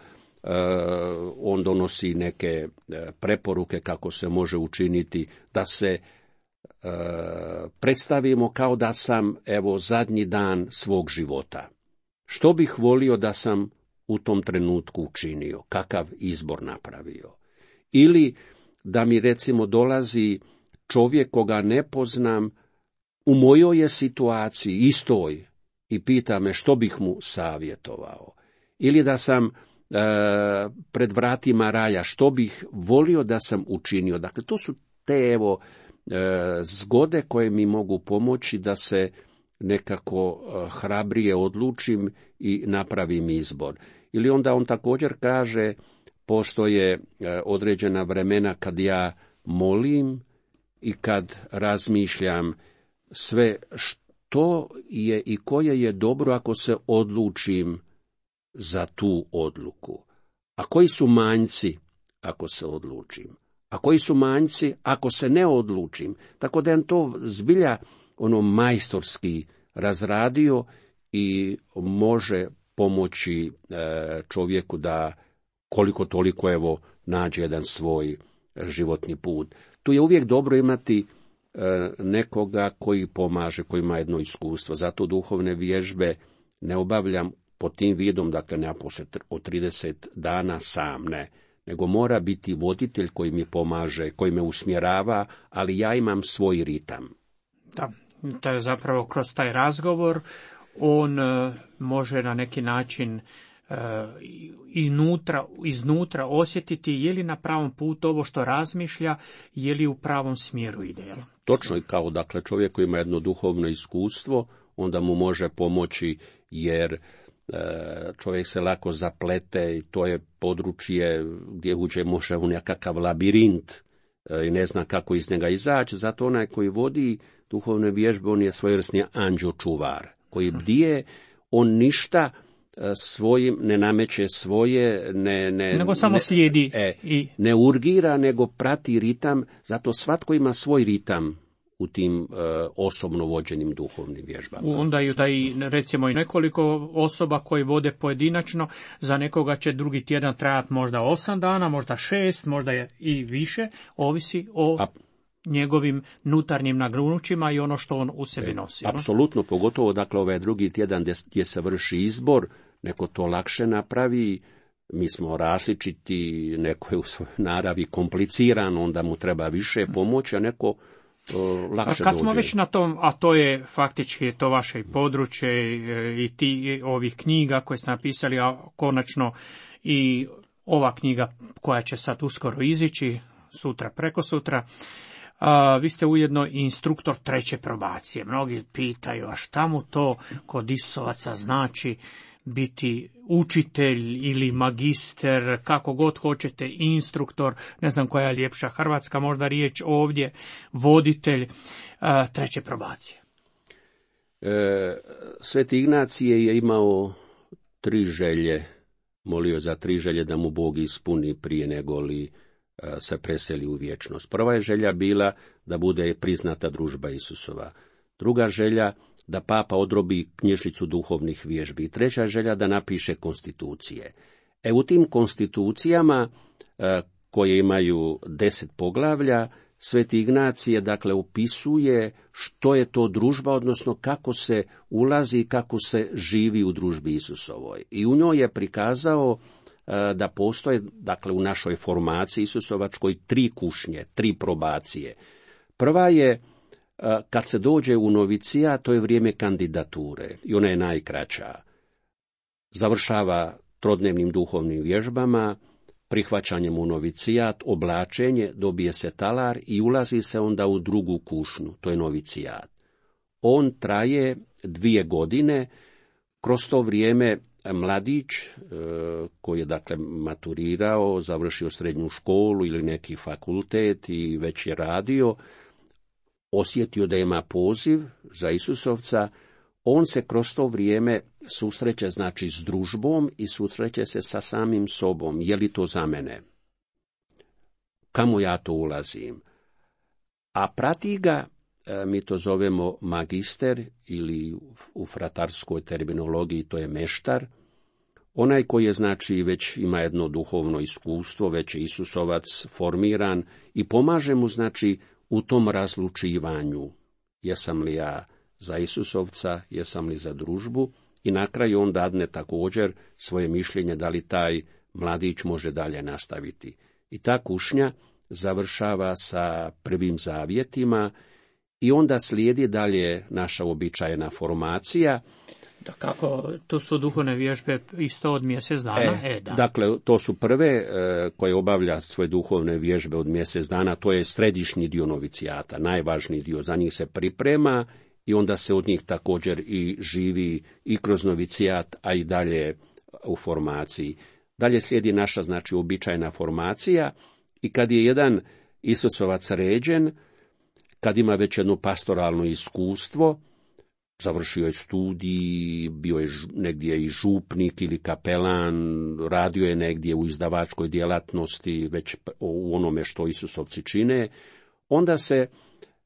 on donosi neke preporuke kako se može učiniti, da se predstavimo kao da sam, evo, zadnji dan svog života. Što bih volio da sam u tom trenutku učinio, kakav izbor napravio. Ili da mi, recimo, dolazi čovjek koga ne poznam, u mojoj je situaciji istoj i pita me što bih mu savjetovao. Ili da sam e, pred vratima raja, što bih volio da sam učinio. Dakle, to su te, evo, e, zgode koje mi mogu pomoći da se nekako e, hrabrije odlučim i napravim izbor. Ili onda on također kaže, postoje e, određena vremena kad ja molim i kad razmišljam sve što je i koje je dobro ako se odlučim za tu odluku. A koji su manjci ako se odlučim? A koji su manjci ako se ne odlučim? Tako da je to zbilja ono majstorski razradio i može pomoći čovjeku da koliko toliko, evo, nađe jedan svoj životni put. Tu je uvijek dobro imati e, nekoga koji pomaže, koji ima jedno iskustvo. Zato duhovne vježbe ne obavljam pod tim vidom, dakle ne od trideset dana sam, ne, nego mora biti voditelj koji mi pomaže, koji me usmjerava, ali ja imam svoj ritam. Da, to je zapravo kroz taj razgovor on uh, može na neki način Uh, iznutra, iznutra osjetiti je li na pravom putu ovo što razmišlja, je li u pravom smjeru ide. Jel? Točno, i kao, dakle, čovjek koji ima jedno duhovno iskustvo, onda mu može pomoći, jer e, čovjek se lako zaplete i to je područje gdje uđe može u nekakav labirint e, i ne zna kako iz njega izaći. Zato onaj koji vodi duhovne vježbe, on je svojevrsni anđeo čuvar, koji bdije, on ništa svojim ne nameće svoje, ne, ne, nego samo ne, slijedi e, i ne urgira, nego prati ritam. Zato svatko ima svoj ritam u tim e, osobno vođenim duhovnim vježbama. Onda ju taj, recimo, i nekoliko osoba koji vode pojedinačno, za nekoga će drugi tjedan trajati možda osam dana, možda šest, možda je i više, ovisi o A, njegovim nutarnjim nagrunućima i ono što on u sebi nosi. E, apsolutno, pogotovo, dakle, ovaj drugi tjedan gdje, gdje se vrši izbor, neko to lakše napravi, mi smo različiti, neko je u svojoj naravi kompliciran, onda mu treba više pomoći, a neko uh, lakše Kad dođe. smo već na tom, a to je faktički to vaše područje i ti ovih knjiga koje ste napisali, a konačno i ova knjiga koja će sad uskoro izići, sutra, preko sutra, a, vi ste ujedno i instruktor treće probacije. Mnogi pitaju, a šta mu to kod Isusovaca znači biti učitelj ili magister, kako god hoćete, instruktor, ne znam koja je ljepša hrvatska možda riječ ovdje, voditelj a, treće probacije. E, Sveti Ignacije je imao tri želje, molio za tri želje da mu Bog ispuni prije nego li se preseli u vječnost. Prva je želja bila da bude priznata družba Isusova. Druga želja da papa odrobi knjižnicu duhovnih vježbi. I treća želja da napiše konstitucije. E u tim konstitucijama koje imaju deset poglavlja, Sveti Ignacije dakle opisuje što je to družba, odnosno kako se ulazi i kako se živi u družbi Isusovoj. I u njoj je prikazao da postoje, dakle, u našoj formaciji Isusovačkoj tri kušnje, tri probacije. Prva je, kad se dođe u novicija, to je vrijeme kandidature i ona je najkraća. Završava trodnevnim duhovnim vježbama, prihvaćanjem u novicijat, oblačenje, dobije se talar i ulazi se onda u drugu kušnju, to je novicijat. On traje dvije godine, kroz to vrijeme mladić koji je dakle maturirao, završio srednju školu ili neki fakultet i već je radio, osjetio da ima poziv za Isusovca, on se kroz to vrijeme susreće znači s družbom i susreće se sa samim sobom. Je li to za mene? Kamo ja to ulazim? A prati ga, mi to zovemo magister ili u fratarskoj terminologiji to je meštar, onaj koji je znači već ima jedno duhovno iskustvo, već je Isusovac formiran i pomaže mu znači u tom razlučivanju. Jesam li ja za Isusovca, jesam li za družbu, i na kraju on dadne također svoje mišljenje da li taj mladić može dalje nastaviti. I ta kušnja završava sa prvim zavjetima i onda slijedi dalje naša uobičajena formacija. Da kako, to su duhovne vježbe isto od mjesec dana? E, e, da. Dakle, to su prve e, koje obavlja svoje duhovne vježbe od mjesec dana, to je središnji dio novicijata, najvažniji dio, za njih se priprema i onda se od njih također i živi i kroz novicijat, a i dalje u formaciji. Dalje slijedi naša, znači, uobičajena formacija i kad je jedan Isusovac ređen, kad ima već jedno pastoralno iskustvo, završio je studij, bio je negdje i župnik ili kapelan, radio je negdje u izdavačkoj djelatnosti, već u onome što Isusovci čine, onda se,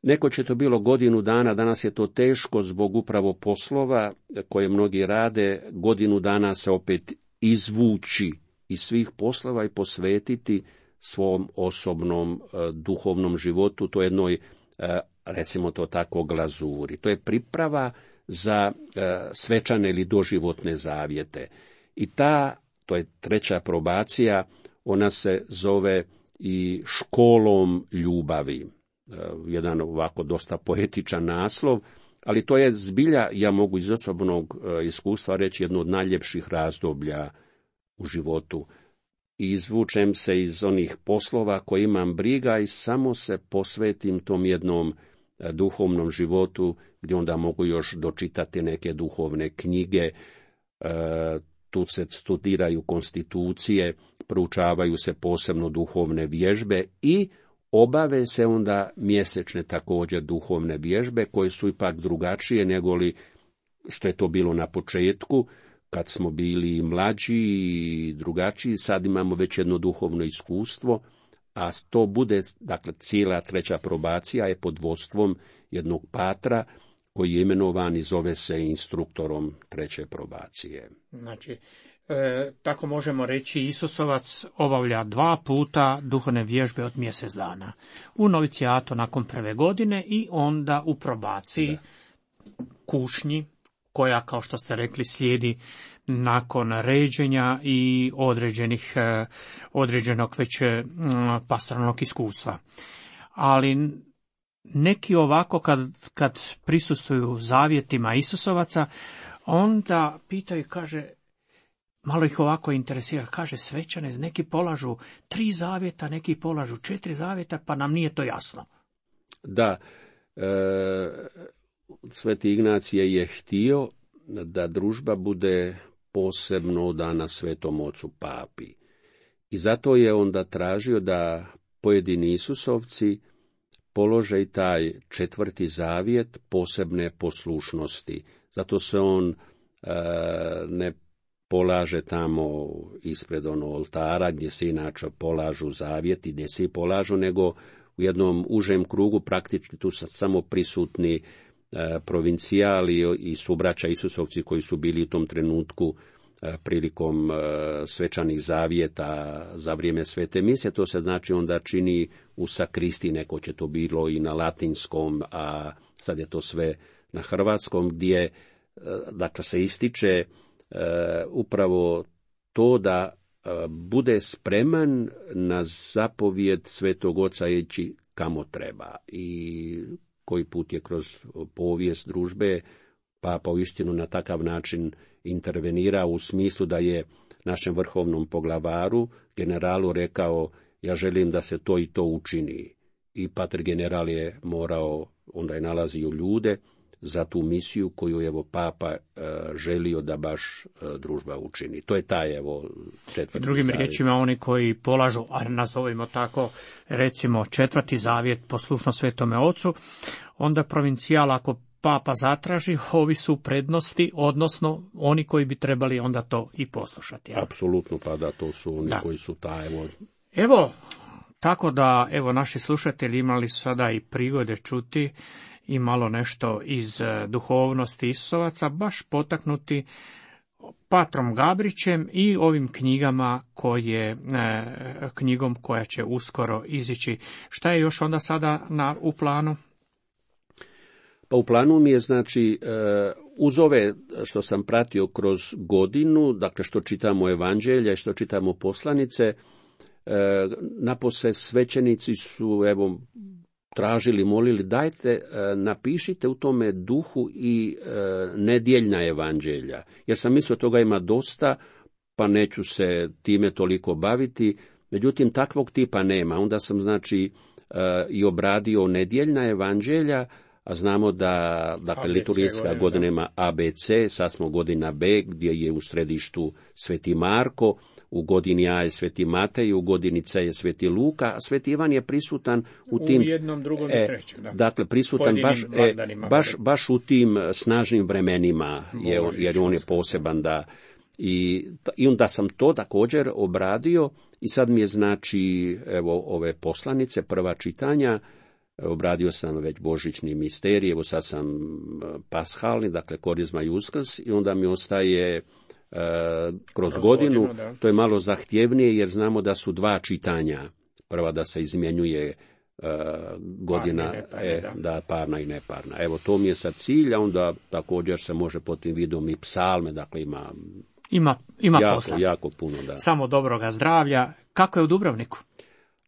neko će to bilo godinu dana, danas je to teško zbog upravo poslova koje mnogi rade, godinu dana se opet izvući iz svih poslova i posvetiti svom osobnom duhovnom životu, to jednoj, recimo to tako, glazuri. To je priprava za svečane ili doživotne zavjete. I ta, to je treća probacija, ona se zove i školom ljubavi. Jedan ovako dosta poetičan naslov, ali to je zbilja, ja mogu iz osobnog iskustva reći, jedno od najljepših razdoblja u životu. I izvučem se iz onih poslova koje imam briga i samo se posvetim tom jednom duhovnom životu, gdje onda mogu još dočitati neke duhovne knjige, tu se studiraju konstitucije, proučavaju se posebno duhovne vježbe i obave se onda mjesečne također duhovne vježbe, koje su ipak drugačije nego li što je to bilo na početku, kad smo bili mlađi i drugačiji. Sad imamo već jedno duhovno iskustvo, a to bude, dakle, cijela treća probacija je pod vodstvom jednog patra koji je imenovan i zove se instruktorom treće probacije. Znači, e, tako možemo reći, Isusovac obavlja dva puta duhovne vježbe od mjesec dana. U novicijatu nakon prve godine i onda u probaciji, da. kušnji, koja, kao što ste rekli, slijedi nakon ređenja i određenih, određenog već pastoralnog iskustva. Ali neki ovako kad, kad prisustvuju zavjetima Isusovaca, onda pitaju, kaže, malo ih ovako interesira, kaže, svećane, neki polažu tri zavjeta, neki polažu četiri zavjeta, pa nam nije to jasno. Da, e, Sveti Ignacije je htio da družba bude posebno odana Svetom Ocu Papi. I zato je onda tražio da pojedini Isusovci polože i taj četvrti zavjet posebne poslušnosti. Zato se on e, ne polaže tamo ispred ono oltara gdje se inače polažu zavjeti, gdje svi polažu, nego u jednom užem krugu, praktički tu su samo prisutni e, provincijali i subraća Isusovci koji su bili u tom trenutku e, prilikom e, svečanih zavjeta za vrijeme svete mise. To se znači onda čini u sakristi, neko će to bilo i na latinskom, a sad je to sve na hrvatskom, gdje e, dakle se ističe e, upravo to da bude spreman na zapovjed Svetog Oca ići kamo treba. I koji put je kroz povijest družbe Papa uistinu na takav način intervenira u smislu da je našem vrhovnom poglavaru, generalu, rekao, ja želim da se to i to učini. I pater general je morao, onda je nalazio ljude za tu misiju koju je evo Papa e, želio da baš e, družba učini. To je taj evo četvrti Drugim zavjet. riječima, oni koji polažu, a nazovimo tako, recimo četvrti zavjet poslušno Svetome Ocu, onda provincijal, ako Papa zatraži, ovi su prednosti, odnosno oni koji bi trebali onda to i poslušati. Ja? Apsolutno, pa da, to su oni da. koji su taj evo. Evo, tako da, evo, naši slušatelji imali su sada i prigode čuti i malo nešto iz duhovnosti Isusovaca, baš potaknuti Patrom Gabrićem i ovim knjigama koje, knjigom koja će uskoro izići. Šta je još onda sada na, u planu? Pa u planu mi je, znači, uz ove što sam pratio kroz godinu, dakle što čitamo evanđelja i što čitamo poslanice, napose svećenici su, evo, tražili, molili, dajte, napišite u tome duhu i nedjeljna evanđelja. Jer sam mislio toga ima dosta, pa neću se time toliko baviti. Međutim, takvog tipa nema. Onda sam, znači, i obradio nedjeljna evanđelja, a znamo da, dakle, liturgijska godina ima A B C, sad smo godina B, gdje je u središtu Sveti Marko, u godini A je Sveti Matej, u godini C je Sveti Luka, a Sveti Ivan je prisutan u tim... U jednom, drugom i trećem, da. Dakle, prisutan baš, e, baš, baš u tim snažnim vremenima, je, jer on je poseban, da... I, I onda sam to također obradio i sad mi je, znači, evo, ove poslanice, prva čitanja, obradio sam već božićni misterij, evo sad sam pashalni, dakle korizma i uskrs, i onda mi ostaje Uh, kroz, kroz godinu, godinu to je malo zahtjevnije jer znamo da su dva čitanja. Prva da se izmjenjuje uh, godina, parni, neparni, e, da. da parna i neparna. Evo, to mi je sad cilj, a onda također se može pod tim vidom i psalme, dakle ima, ima, ima jako, posla. jako puno. Da. Samo dobroga zdravlja. Kako je u Dubrovniku?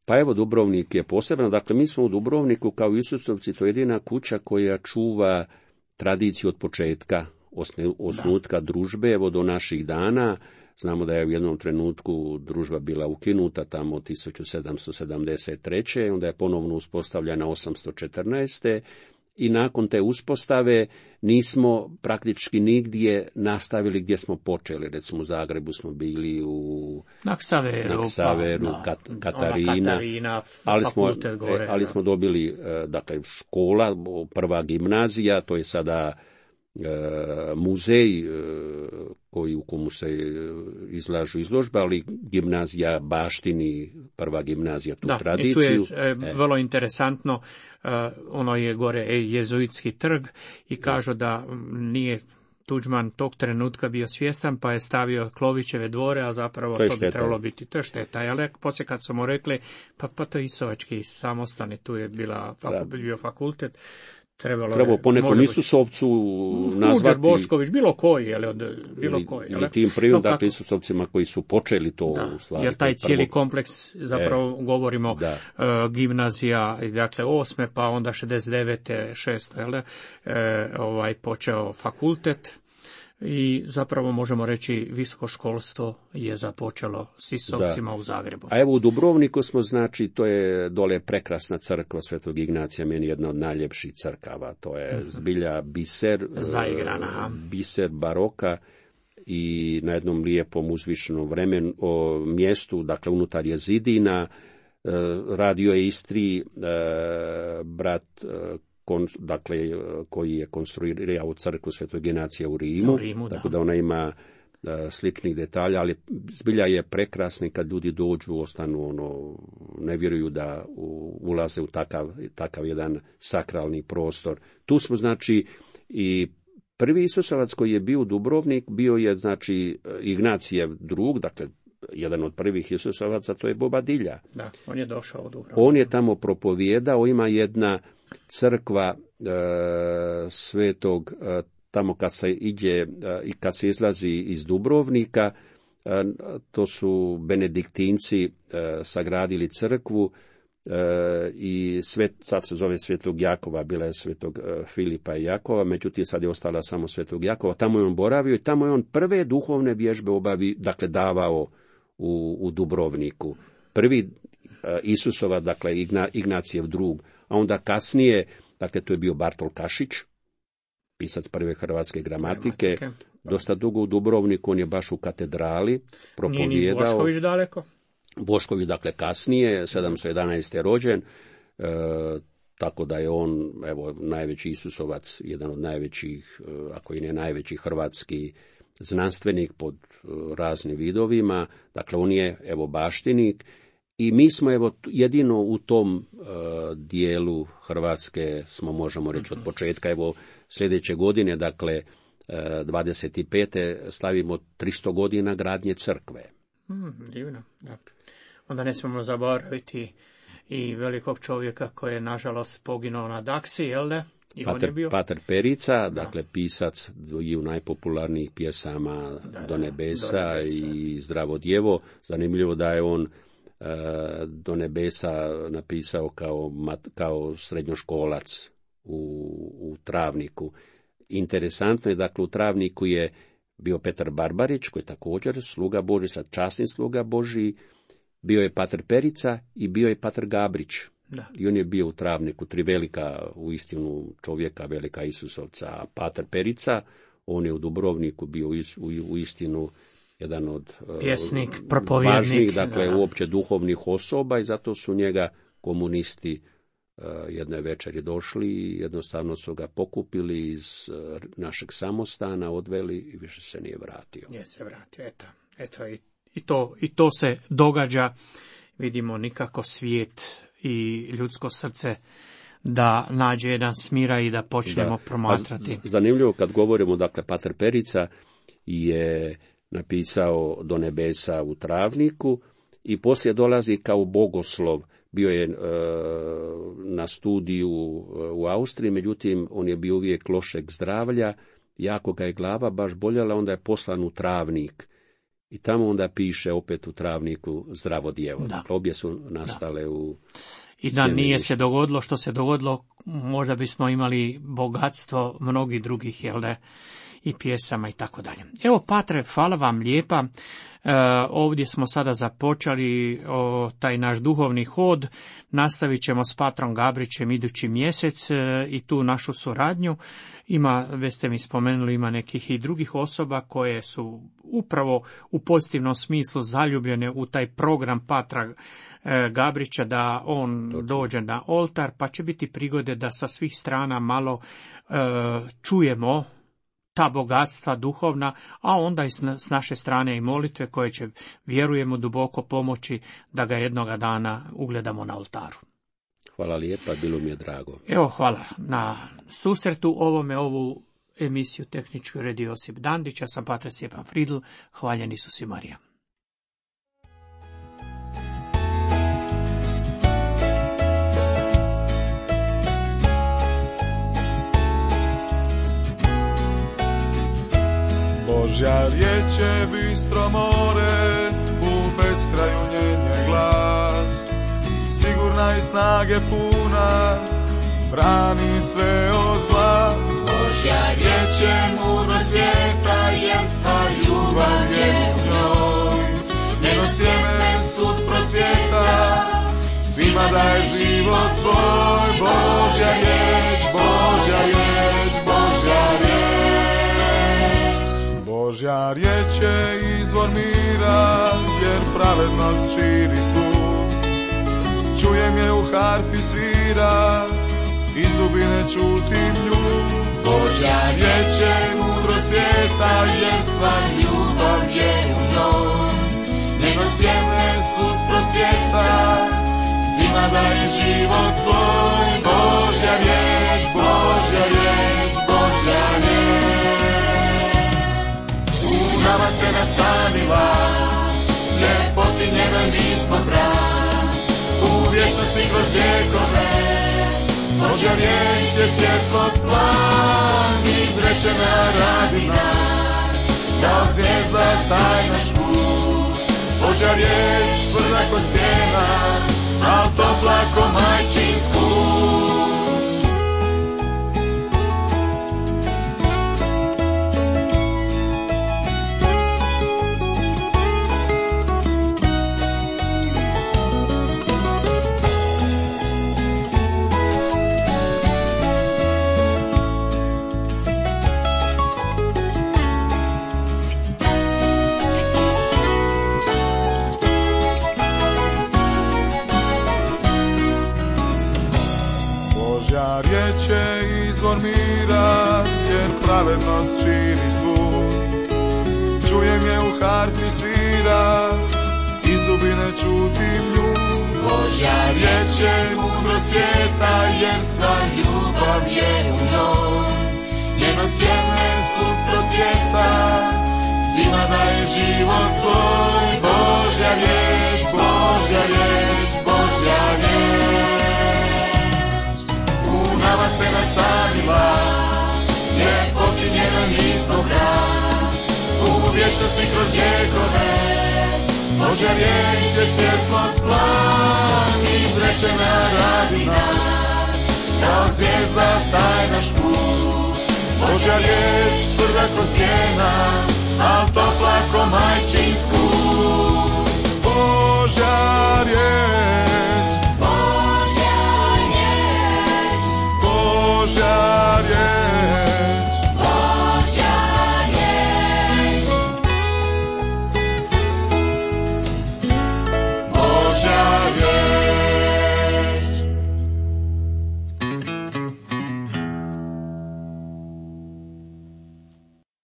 Pa evo, Dubrovnik je poseban. Dakle, mi smo u Dubrovniku kao Isusovci, to je jedina kuća koja čuva tradiciju od početka osnutka da. družbe, evo do naših dana. Znamo da je u jednom trenutku družba bila ukinuta tamo tisuću sedamsto sedamdeset treće. Onda je ponovno uspostavljena osamsto četrnaeste. I nakon te uspostave nismo praktički nigdje nastavili gdje smo počeli. Recimo u Zagrebu smo bili u Naksaveru, Naksaveru pa, Kat, Katarina, Katarina ali, smo, gore, ali smo dobili dakle, škola, prva gimnazija, to je sada muzej koji u komu se izlažu izložbe, ali gimnazija baštini, prva gimnazija tu da, tradiciju. I tu je e, vrlo interesantno, ono je gore jezuitski trg i kažu da nije Tuđman tog trenutka bio svjestan, pa je stavio Klovićeve dvore, a zapravo to, to bi trebalo biti. To je šteta. Ali poslije kad su mu rekli, pa, pa to je Isovački samostani, tu je bila, faku, bio fakultet, Trebalo, Trebalo poneko Isusovcu nazvati... Muđer Bošković, bilo koji, ali od bilo ili, koji. Ili tim prvim, no, dakle, Isusovcima koji su počeli to da, u stvari. Jer taj cijeli prvo... kompleks, zapravo e, govorimo, uh, gimnazija, dakle, osme, pa onda šezdeset devete, šeste, jel, e, ovaj, počeo fakultet. I zapravo možemo reći visoko školstvo je započelo s Isovcima da. U Zagrebu. A evo u Dubrovniku smo, znači, to je dole prekrasna crkva Svetog Ignacija, meni jedna od najljepših crkava. To je zbilja biser, zaigrana, biser baroka i na jednom lijepom uzvišenom vremenu, o, mjestu, dakle unutar je zidina, e, radio je Istri, e, brat e, Kon, dakle, koji je konstruirao crkvu Svetog Ignacija u Rimu, u Rimu tako da. da ona ima uh, sličnih detalja, ali zbilja je prekrasna kad ljudi dođu, ostanu, ono, ne vjeruju da u, ulaze u takav, takav jedan sakralni prostor. Tu smo, znači, i prvi Isusovac koji je bio u Dubrovnik, bio je, znači, Ignacijev drug, dakle, jedan od prvih Isusovaca, to je Bobadilja. Da, on je došao u Dubrovnik. On je tamo propovijedao, ima jedna crkva e, svetog, e, tamo kad se ide e, i kad se izlazi iz Dubrovnika, e, to su benediktinci e, sagradili crkvu e, i svet, sad se zove Svetog Jakova, bila je Svetog e, Filipa i Jakova, međutim sad je ostala samo Svetog Jakova, tamo je on boravio i tamo je on prve duhovne vježbe obavi, dakle davao u, u Dubrovniku. Prvi e, Isusova, dakle Igna, Ignacijev drug, a onda kasnije, dakle to je bio Bartol Kašić, pisac prve hrvatske gramatike, gramatike. Dosta dugo u Dubrovniku, on je baš u katedrali propovijedao. Nije ni Bošković daleko? Bošković, dakle kasnije, sedamsto jedanaeste rođen, e, tako da je on, evo, najveći Isusovac, jedan od najvećih, ako i ne najveći hrvatski znanstvenik pod raznim vidovima, dakle on je, evo, baštinik. I mi smo, evo, jedino u tom uh, dijelu Hrvatske smo, možemo reći, od početka, evo, sljedeće godine, dakle, uh, dvadeset pete slavimo tristo godina gradnje crkve. Mm, divno, da. Onda ne smijemo zaboraviti i velikog čovjeka koji je, nažalost, poginuo na Daksi, jel da? I Pater, on je bio... Pater Perica, da. Dakle, pisac dviju najpopularnijih pjesama da, da, do nebesa, do nebesa i Zdravo djevo. Zanimljivo da je on do nebesa napisao kao, kao srednjoškolac u, u Travniku. Interesantno je, dakle, u Travniku je bio Petar Barbarić, koji je također sluga Božji, sad časni sluga Božji, bio je Pater Perica i bio je Pater Gabrić. Da. I on je bio u Travniku, tri velika, uistinu čovjeka, velika Isusovca. Pater Perica, on je u Dubrovniku bio u, u istinu jedan od pjesnik, uh, propovjednik, važnih, dakle, da. uopće duhovnih osoba i zato su njega komunisti uh, jedne večeri došli i jednostavno su ga pokupili iz uh, našeg samostana, odveli i više se nije vratio. Nije se vratio, eto, eto i, i, to, i to se događa, vidimo nikako svijet i ljudsko srce da nađe jedan smira i da počnemo da. promatrati. Zanimljivo kad govorimo, dakle, Pater Perica je napisao Do nebesa u Travniku i poslije dolazi kao bogoslov. Bio je e, na studiju u Austriji, međutim on je bio uvijek lošeg zdravlja, jako ga je glava baš boljela, onda je poslan u Travnik. I tamo onda piše opet u Travniku Zdravo djevo. Dakle, obje su nastale da. u... I da nije se dogodilo što se dogodilo, možda bismo imali bogatstvo mnogih drugih, jel da, i pjesama i tako dalje. Evo, Patre, hvala vam lijepa. E, ovdje smo sada započeli o, taj naš duhovni hod. Nastavit ćemo s Patrom Gabrićem idući mjesec e, i tu našu suradnju. Ima, već ste mi spomenuli, ima nekih i drugih osoba koje su upravo u pozitivnom smislu zaljubljene u taj program Patra e, Gabrića, da on Točno. dođe na oltar, pa će biti prigode da sa svih strana malo e, čujemo ta bogatstva duhovna, a onda i s naše strane i molitve koje će, vjerujemo, duboko pomoći da ga jednoga dana ugledamo na oltaru. Hvala lijepa, bilo mi je drago. Evo, hvala na susretu ovome, ovu emisiju tehničku redi Josip Dandić, ja sam Pater Stjepan Fridl, hvaljen Isus i Marija. Božja riječ je bistro more, u beskraju njen glas. Sigurna i snage puna, brani sve od zla. Božja riječ je mudro svijeta, jer sva ljubav je u njoj. Njeno sjeme svud procvjeta, svima daje život svoj. Božja riječ, Božja riječ, Božja riječ. Božja riječ je izvor mira, jer pravednost širi svud. Čujem je u harfi svira, iz dubine čutim nju. Božja riječ je mudro svijeta, jer sva ljubav je u njoj. Njeno sjeme svud procvjeta, svima daje život svoj. Božja riječ, Božja riječ, Božja riječ. U nama se nastanila, ljepoti njene mi smo kraj. U vječnosti kroz vjekove, Božja riječ je svjetlost plan. Izrečena radi nas, kao zvijezda taj naš put. Božja riječ tvrda ko stijena, al topla ko majčin skut. Riječ je izvor mira, jer pravednost širi svud. Čujem je u harfi svira, iz dubine čutim nju. Božja riječ je mudro svijeta, jer sva ljubav je u njoj. Njeno sjeme svud procvjeta, svima daje život svoj. Božja riječ, Božja riječ, Božja riječ. Nama se nastanila, ljepoti njena mi smo kraj. U vječnosti kroz vjekove, Božja riječ je svjetlost plan. Izrečena radi nas, kao zvijezda taj naš put. Božja riječ tvrda ko stijena, al topla ko majčin skut. Božja riječ